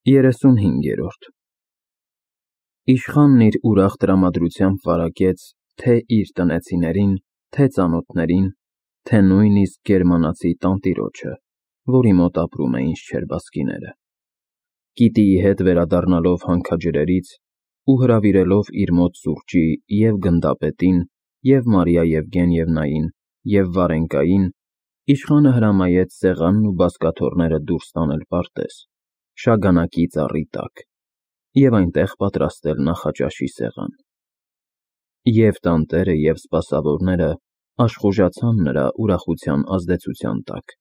35-րդ Իշխանն իր ուրախ տրամադրությամբ վարակեց թե իր տնեցիներին, թե ծանոթներին, թե նույնիսկ գերմանացի տանտիրոջը, որի մոտ ապրում էին շչերբասկիները։ Կիտիի հետ վերադառնալով հանքաջրերից ու հրավիրելով իր մոտ սուրճի և գնդապետին, և Մարիա Եվգենիևնային, և Վարենկային, իշխանը հրամայեց սեղանն ու բազկաթոռները դուրս տանել պարտեզ, շագանակի ծառի տակ, և այնտեղ պատրաստել նախաճաշի սեղան։ Եվ տանտերը, և սպասավորները աշխուժացան նրա ուրախության ազդեցության տակ։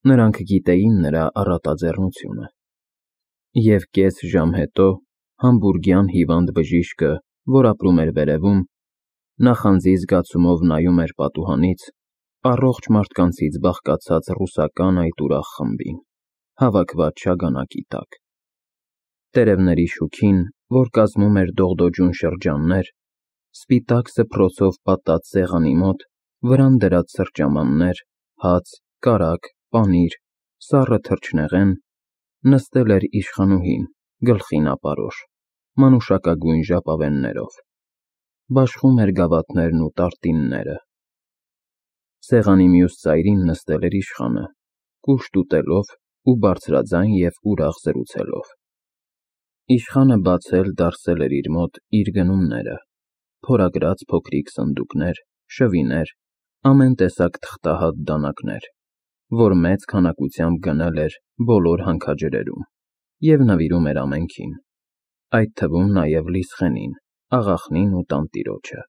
Նրանք գիտեին նրա առատաձեռնությունը։ Եվ կես ժամ հետո համբուրգյան հիվանդ բժիշկը, որ ապրում էր վերևում, նախանձի զգացումով նայում էր պատուհանից առողջ մարդկանցից բաղկացած ռուսական այդ ուրախ խմբին, հավաքված շագանակի տակ։ Տերևների շուքին, որ կազմում էր դողդոջուն շրջաններ, սպիտակ սփռոցով պատած սեղանի մոտ, վրան դրած սրճամաններ, հաց, կարագ, պանիր, սառը թռչնեղեն, նստել էր իշխանուհին, գլխին ապարոշ, մանուշակագույն ժապավեններով, բաշխում էր գավաթներն ու տարտինները։ Սեղանի մյուս ծայրին նստել էր իշխանը, կուշտ ուտելով ու բարձրաձայն և ուրախ զրուցելով։ Իշխանը բացել-դարսել էր իր մոտ իր գնումները, փորագրած փոքրիկ սնդուկներ, շվիներ, ամեն տեսակ թղթահատ դանակներ, որ մեծ քանակությամբ գնել էր բոլոր հանքաջրերում և նվիրում էր ամենքին, այդ թվում նաև Լիսխենին, աղախնին ու տանտիրոջը,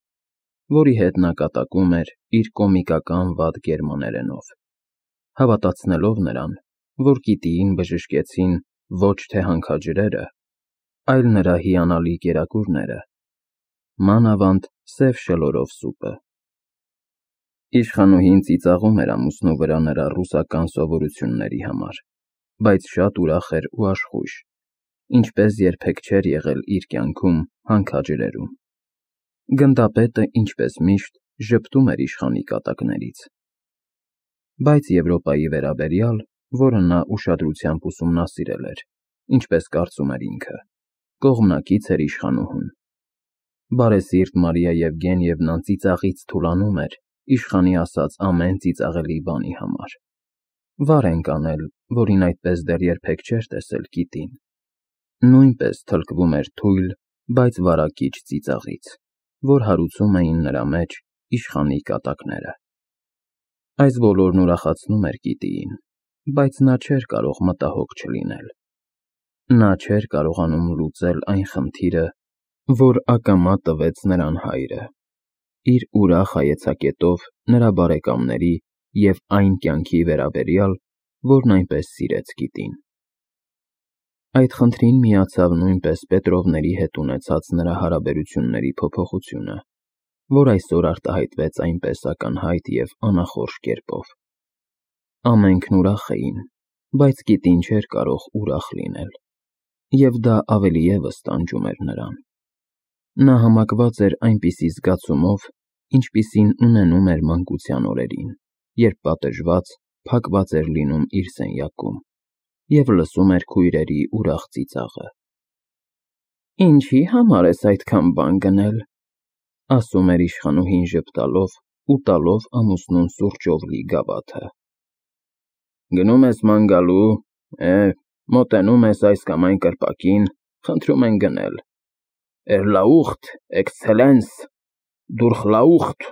որի հետ նա կատակում էր իր կոմիկական վատ գերմաներենով, հավատացնելով նրան, որ Կիտիին բժշկեցին ոչ թե հանքաջրերը, այլ նրա հիանալի կերակուրները, մանավանդ սև շլորով սուպը։ Իշխանուհին ծիծաղում էր ամուսնու վրա նրա ռուսական սովորությունների համար, բայց շատ ուրախ էր ու աշխույժ, ինչպես երբեք չէր եղել իր կյանքում հանքաջրերում։ Գնդապետը, ինչպես միշտ, ժպտում էր իշխանի կատակներից։ Բայց Եվրոպայի վերաբերյալ, որը նա ուշադրությամբ ուսումնասիրել էր, ինչպես կարծում էր ինքը, կողմնակից էր իշխանուհուն։ Բարեսիրտ Մարիա Եվգենիևնան ծիծաղից թուլանում էր իշխանի ասած ամեն ծիծաղելի բանի համար։ Վարենք անել, որին այդպես դեռ երբեք չէր տեսել Կիտին, նույնպես թլկվում էր թույլ, բայց վարակիչ ծիծաղից, որ հարուցում էին նրա մեջ իշխանի կատակները։ Այս բոլորն ուրախացնում էր Կիտիին, բայց նա չէր կարող մտահոգ չլինել։ Նա չէր կարողանում լուծել այն խնդիրը, որ ակամա տվեց նրան հայրը, իր ուրախ հայեցակետով նրա բարեկամների և այն կյանքի վերաբերյալ, որն այնպես սիրեց Կիտին։ Այդ խնդրին միացավ նույնպես Պետրովների հետ ունեցած նրա հարաբերությունների փոփոխությունը, որ այսօր արտահայտվեց այնպես ակնհայտ և անախորժ կերպով։ Ամենքն ուրախ էին, բայց Կիտին չէր կարող ուրախ լինել, և դա ավելի ևս տանջում էր նրան։ Նա համակված էր այնպիսի զգացումով, ինչպիսին ունենում էր մանկության օրերին, երբ պատժված, փակված էր լինում իր սենյակում և լսում էր քույրերի ուրախ ծիծաղը։ «Ինչի համար ես այդքան բան գնել», ասում էր իշխանուհին ժպտալով ու տալով ամուսնուն սուրճով լի գավաթը։ «Գնում ես ման գալու, մոտենում ես այս կամ այն կրպակին, խնդրում են գնել։ Էրլաուխտ, էքցելենս, դուրխլաուխտ։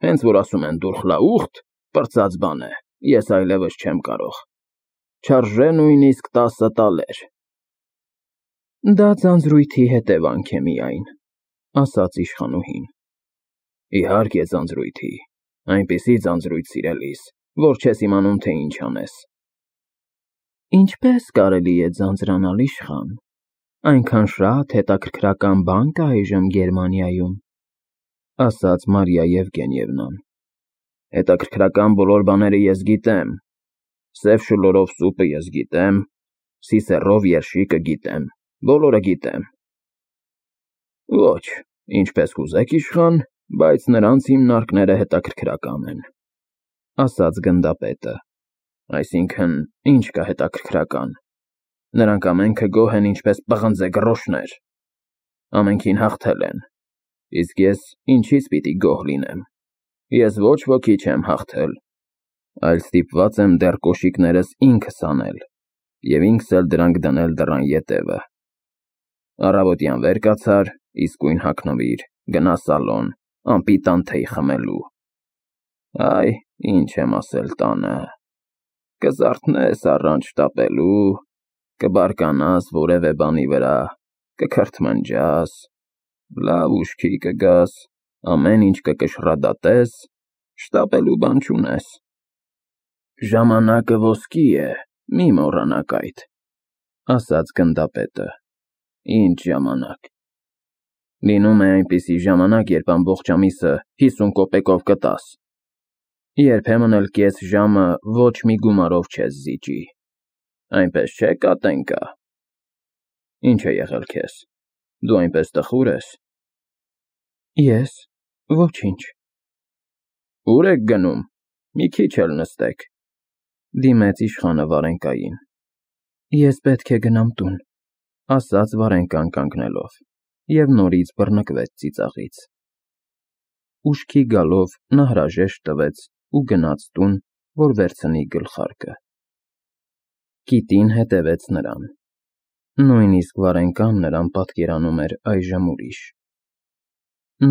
Հենց որ ասում են դուրխլաուխտ, պրծած բան է, ես այլևս չեմ կարող։ Չարժե նույնիսկ 10 տալեր»։ Դա ձանձրույթի հետևանք է միայն, ասաց իշխանուհին։ Իհարկե ձանձրույթի, այնպիսի ձանձրույթ սիրելիս, որ չես իմանում, թե ինչ անես։ Ինչպես կարելի է ձանձրանալ, իշխան, այնքան շատ հետաքրքրական բան կա այժմ Գերմանիայում, ասաց Մարիա Եվգենիևնան։ Հետաքրքրական բոլոր բաները ես գիտեմ, սև շլորով սուպը ես գիտեմ, սիսեռով երշիկը գիտեմ, բոլորը գիտեմ։ Ոչ, ինչպես կուզեք, իշխան, բայց նրանց հիմնարկները հետաքրքրական են, ասաց գնդապետը։ Այսինքն, ինչ կա հետաքրքրական։ Նրանք ամենքը գոհ են ինչպես պղնձե գռոշներ։ Ամենքին հաղթել են, իսկ ես ինչից պիտի գոհ լինեմ։ Ես ոչ ոքի չեմ հաղթել, այլ ստիպված եմ դեռ կոշիկներս ինքս անել և ինքս էլ դրանք դնել դռան ետևը։ Առավոտյան վեր կացար, իսկույն հագնվիր, գնա սալոն, անպիտան թեյ խմելու։ Այ, ինչ եմ ասել տանը, կզարթնես առանց շտապելու, կբարկանաս որևէ բանի վրա, կքրթմնջաս, լավ ուշքի կգաս, ամեն ինչ կկշռադատես, շտապելու բան չունես։ Ժամանակը ոսկի է, մի մոռանաք այդ, ասաց գնդապետը։ Ինչ ժամանակ։ Լինում է այնպիսի ժամանակ, երբ ամբողջ ամիսը 50 կոպեկով կտաս։ Երբեմն էլ կես ժամը ոչ մի գումարով չես զիջի։ Այնպես չէ, Կատենկա։ Ինչ է եղել քեզ։ Դու այնպես տխուր ես։ Ես, ոչինչ։ Ուր եք գնում։ Մի քիչ էլ նստեք, դիմեց իշխանը Վարենկային։ Ես պետք է գնամ տուն, ասաց Վարենկան կանգնելով, և նորից բռնկվեց ծիծաղից։ Ուշքի գալով նա հրաժեշտ տվեց ու գնաց տուն, որ վերցնի գլխարկը։ Կիտին հետևեց նրան։ Նույնիսկ Վարենկան նրան պատկերանում էր այժմ ուրիշ։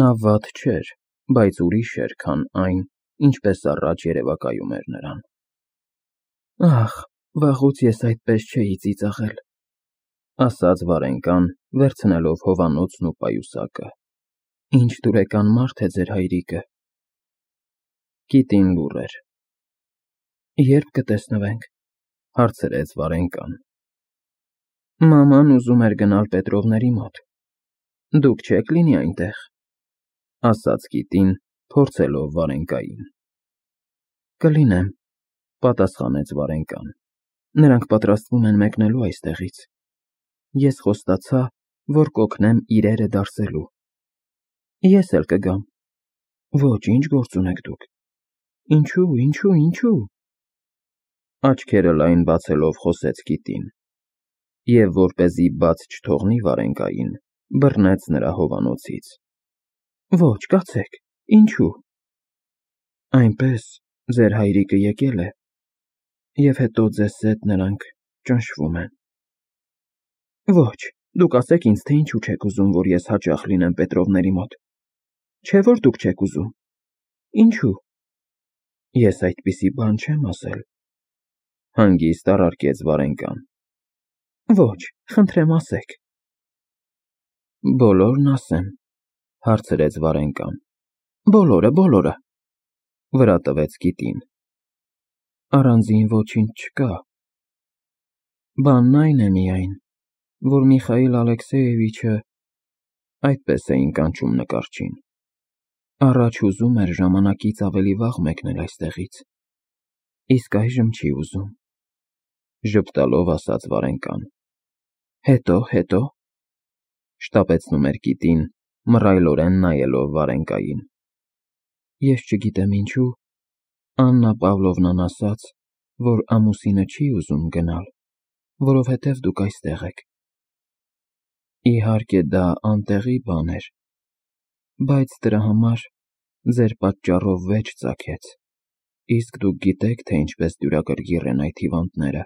Նա վատ չէր, բայց ուրիշ էր, քան այն, ինչպես առաջ երևակայում էր նրան։ Ախ, վաղուց ես այդպես չէի ծիծաղել, ասաց Վարենկան, վերցնելով հովանոցն ու պայուսակը։ Ինչ դուրեկան մարդ է ձեր հայրիկը։ Կիտին լուռ էր։ Երբ կտեսնվենք, հարցրեց Վարենկան։ Մաման ուզում էր գնալ Պետրովների մոտ։ Դուք չեք լինի այնտեղ, ասաց կիտին, փորձելով Վարենկային։ Կլինեմ, պատասխանեց Վարենկան։ Նրանք պատրաստվում են մեկնելու այստեղից։ Ես խոստացա, որ կօգնեմ իրերը դարսելու։ Ես էլ կգամ։ Ոչ, ինչ գործ ունեք դուք։ Ինչու։ Աչքերը լայն բացելով խոսեց կիտին, և որպեսզի բաց չթողնի Վարենկային, բռնեց նրա հովանոցից։ Ոչ, կացեք, ինչու։ Այնպես, ձեր հայրիկը եկել է, և հետո ձեզ հետ նրանք ճնշվում են։ Ոչ, դուք ասեք ինձ, թե ինչու չեք ուզում, որ ես հաճախ լինեմ Պետրովների մոտ։ Չէ՞ որ դուք չեք ուզում։ Ինչու։ Ես այդպիսի բան չեմ ասել, հանգիստ առարկեց Վարենկան։ Ոչ, խնդրեմ ասեք։ Բոլորն ասեմ, հարցրեց Վարենկան։ Բոլորը, վրա տվեց կիտին։ Առանձին ոչինչ չկա։ Բանն այն է միայն, որ Միխայիլ Ալեքսեևիչը, այդպես էին կանչում նկարչին, առաջ ուզում էր ժամանակից ավելի վաղ մեկնել այստեղից, իսկ այժմ չի ուզում, ժպտալով ասաց Վարենկան։ Հետո, շտապեցնում էր կիտին, մռայլորեն նայելով Վարենկային։ Ես չգիտեմ ինչու, Աննա Պավլովնան ասաց, որ ամուսինը չի ուզում գնալ, որովհետև դուք այստեղ եք։ Իհարկե դա անտեղի բան էր, բայց դրա համար ձեր պատճառով վեճ ծագեց, իսկ դուք գիտեք, թե ինչպես դյուրակրգիռ են այդ հիվանդները։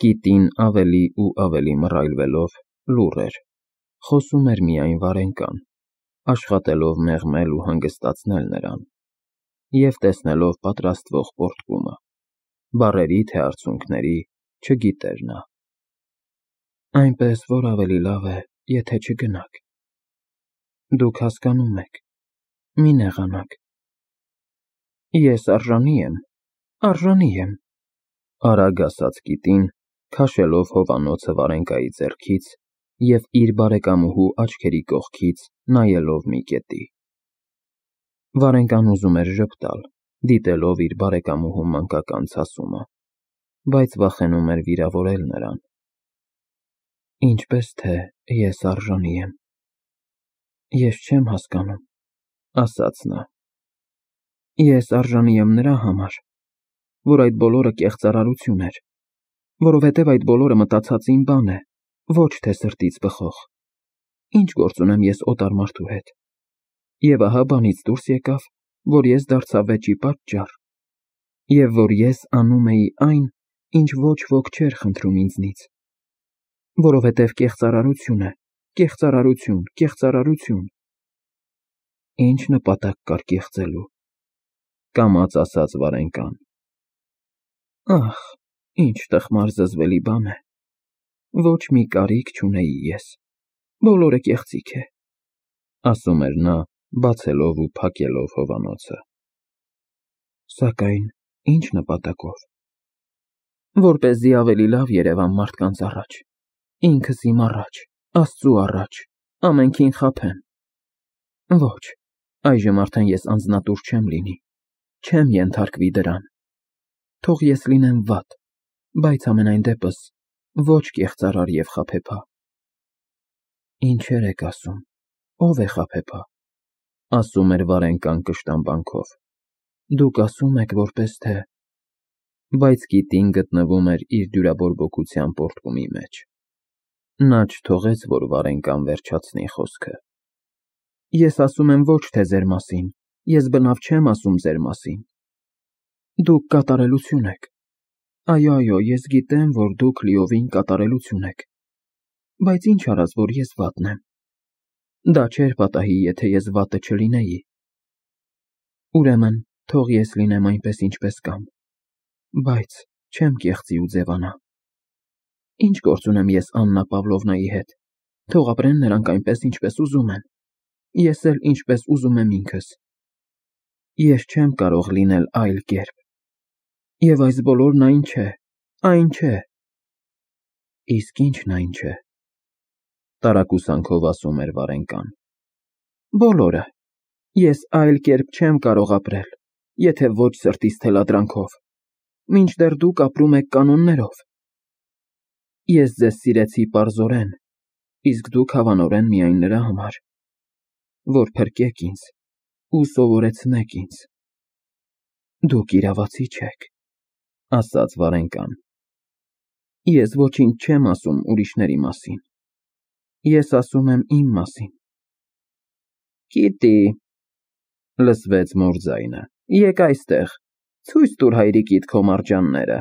Կիտին ավելի ու ավելի մռայլվելով լուռ էր, խոսում էր միայն Վարենկան, աշխատելով մեղմել ու հանգստացնել նրան, և տեսնելով պատրաստվող պոռթկումը, բառերի թե արցունքների չգիտեր նա։ Այնպես որ ավելի լավ է, եթե չգնաք։ Դուք հասկանում եք, մի նեղանաք։ Ես արժանի եմ, արագ ասաց կիտին, քաշելով հովանոցը Վարենկայի ձեռքից և իր բարեկամուհու աչքերի կողքից նայելով մի կետի։ Վարենկան ուզում էր ժպտալ, դիտելով իր բարեկամուհու մանկական ցասումը, բայց վախենում էր վիրավորել նրան։ Ինչպես թե ես արժանի եմ։ Ես չեմ հասկանում, ասաց նա։ Ես արժանի եմ նրա համար, որ այդ բոլորը կեղծարարություն էր, Որովհետև այդ բոլորը մտածած իմ բան է, ոչ թե սրտից բխող։ Ինչ գործ ունեմ ես օտար մարդու հետ։ Եվ ահա բանից դուրս եկավ, որ ես դարձա վեճի պատճառ, և որ ես անում էի այն, ինչ ոչ ոք չէր խնդրում ինձնից։ Որովհետև կեղծարարություն է, կեղծարարություն, կեղծարարություն։ Ինչ նպատակ կար կեղծելու, կամաց ասած Վարենկան։ Ահ, ինչ տխմար զզվելի բան է։ Ոչ մի կարիք չունեի ես, բոլորը կեղծիք է, ասում էր նա, բացելով ու փակելով հովանոցը։ Սակայն ինչ նպատակով։ Որպեսզի ավելի լավ երևամ մարդկանց առաջ, ինքս իմ առաջ, Աստծու առաջ, ամենքին խաբեմ։ Ոչ, այժմ արդեն ես անձնատուր չեմ լինի, չեմ ենթարկվի դրան։ Թող ես լինեմ վատ, բայց ամենայն դեպս ոչ կեղծարար և խաբեբա։ Ինչեր եք ասում, ով է խաբեբա, ասում էր Վարենկան կշտամբանքով։ Դուք ասում եք, որպես թե… Բայց գիտին գտնվում էր իր դյուրաբորբոքության պոռթկումի մեջ։ Նա չթողեց, որ Վարենկան վերջացնի խոսքը։ Ես ասում եմ ոչ թե ձեր մասին, ես բնավ չեմ ասում ձեր մասին։ Դուք կատարելություն եք։ Այո, ես գիտեմ, որ դուք լիովին կատարելություն եք։ Բայց ինչ արած, որ ես վատն եմ։ Դա չէր պատահի, եթե ես վատը չլինեի։ Ուրեմն, թող ես լինեմ այնպես, ինչպես կամ, բայց չեմ կեղծի ու ձևանա։ Ինչ գործ ունեմ ես Աննա Պավլովնայի հետ, թող ապրեն նրանք այնպես, ինչպես ուզում են, ես էլ ինչպես ուզում եմ ինքս։ Ես չեմ կարող լինել այլ կերպ։ Եվ այս բոլորն այն չէ, այն չէ։ Իսկ ի՞նչն այն չէ, տարակուսանքով ասում էր Վարենկան։ Բոլորը։ Ես այլ կերպ չեմ կարող ապրել, եթե ոչ սրտիս թելադրանքով, մինչդեռ դուք ապրում եք կանոններով։ Ես ձեզ սիրեցի պարզորեն, իսկ դուք հավանորեն միայն նրա համար, որ փրկեք ինձ ու սովորեցնեք ինձ։ Դուք իրավացի չեք, ասաց Վարենկան։ Ես ոչինչ չեմ ասում ուրիշների մասին, ես ասում եմ իմ մասին։ Կիտի, լսվեց մոր ձայնը, եկ այստեղ, ցույց տուր հայրիկիդ քո մարջանները։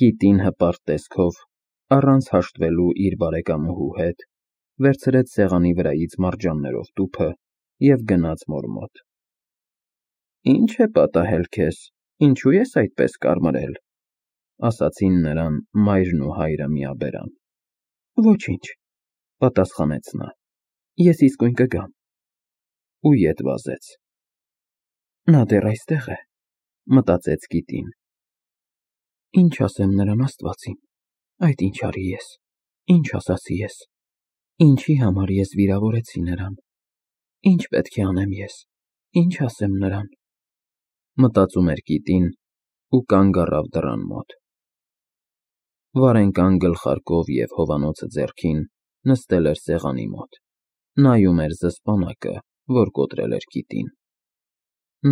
Կիտին հպարտ տեսքով, առանց հաշտվելու իր բարեկամուհու հետ, վերցրեց սեղանի վրայից մարջաններով տուփը և գնաց մոր մոտ։ Ինչ է պատահել քեզ, ինչու ես այդպես կարմրել, ասացին նրան մայրն ու հայրը միաբերան։ Ոչինչ, պատասխանեց նա, ես իսկույն կգամ։ Ու ետ վազեց։ Նա դեռ այստեղ է, մտածեց Կիտին։ Ինչ ասեմ նրան Աստվածին, այդ ինչ արի ես, ինչ ասացի ես, ինչի համար ես վիրավորեցի նրան, ինչ պետք է անեմ ես, ինչ ասեմ նրան, մտածում էր Կիտին ու կանգ առավ դռան մոտ։ Վարենկան գլխարկով և հովանոցը ձեռքին նստել էր սեղանի մոտ, նայում էր զսպանակը, որ կոտրել էր Կիտին։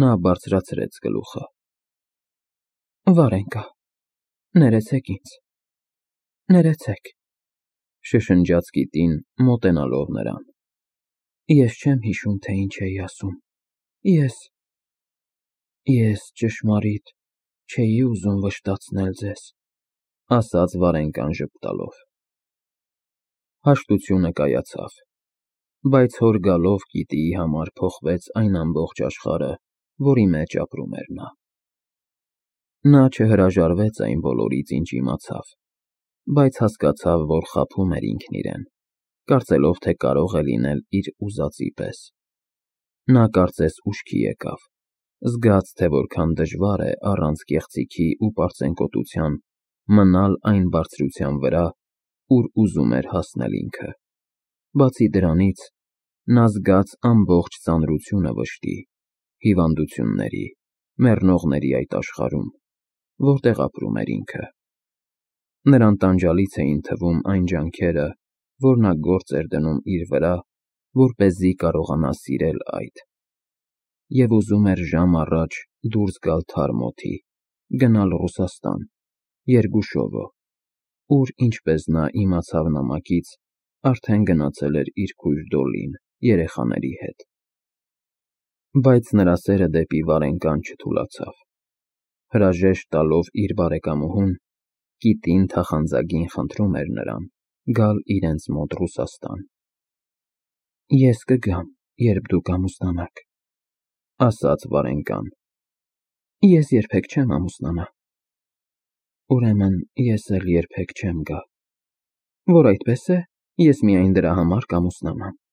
Նա բարձրացրեց գլուխը։ Վարենկա, ներեցեք ինձ, ներեցեք, շշնջաց Կիտին, մոտենալով նրան։ Ես չեմ հիշում, թե ինչ էի ասում։ Ես ճշմարիտ չէի ուզում վշտացնել ձեզ, ասաց Վարենկան ժպտալով։ Հաշտությունը կայացավ, բայց հոր գալով Կիտիի համար փոխվեց այն ամբողջ աշխարհը, որի մեջ ապրում էր նա։ Նա չհրաժարվեց այն բոլորից, ինչ իմացավ, բայց հասկացավ, որ խաբում էր ինքն իրեն, կարծելով, թե կարող է լինել իր ուզածի պես։ Նա կարծես ուշքի եկավ, զգաց, թե որքան դժվար է առանց կեղծիքի ու պարծենկոտության մնալ այն բարձրության վրա, ուր ուզում էր հասնել ինքը։ Բացի դրանից, նա զգաց ամբողջ ծանրությունը վշտի, հիվանդությունների, մեռնողների այդ աշխարհում, որտեղ ապրում էր ինքը։ Նրան տանջալից էին թվում այն ջանքերը, որ նա գործ էր դնում իր վրա, որպեսզի կարողանա սիրել այդ։ Եվ ուզում էր ժամ առաջ դուրս գալ թարմ օդի, գնալ Ռուսաստան, Երգուշովո, ուր, ինչպես նա իմացավ նամակից, արդեն գնացել էր իր քույր Դոլին երեխաների հետ։ Բայց նրա սերը դեպի Վարենկան չթուլացավ։ Հրաժեշտ տալով իր բարեկամուհուն, կիտին թախանձագին խնդրում էր նրան գալ իրենց մոտ Ռուսաստան։ «Ես կգամ, երբ դուք ամուսնանաք», ասաց Վարենկան։ «Ես երբեք չեմ ամուսնանա»։ «Ուրեմն ես էլ երբեք չեմ գա։ Որ այդպես է, ես միայն դրա համար կամուսնանամ»։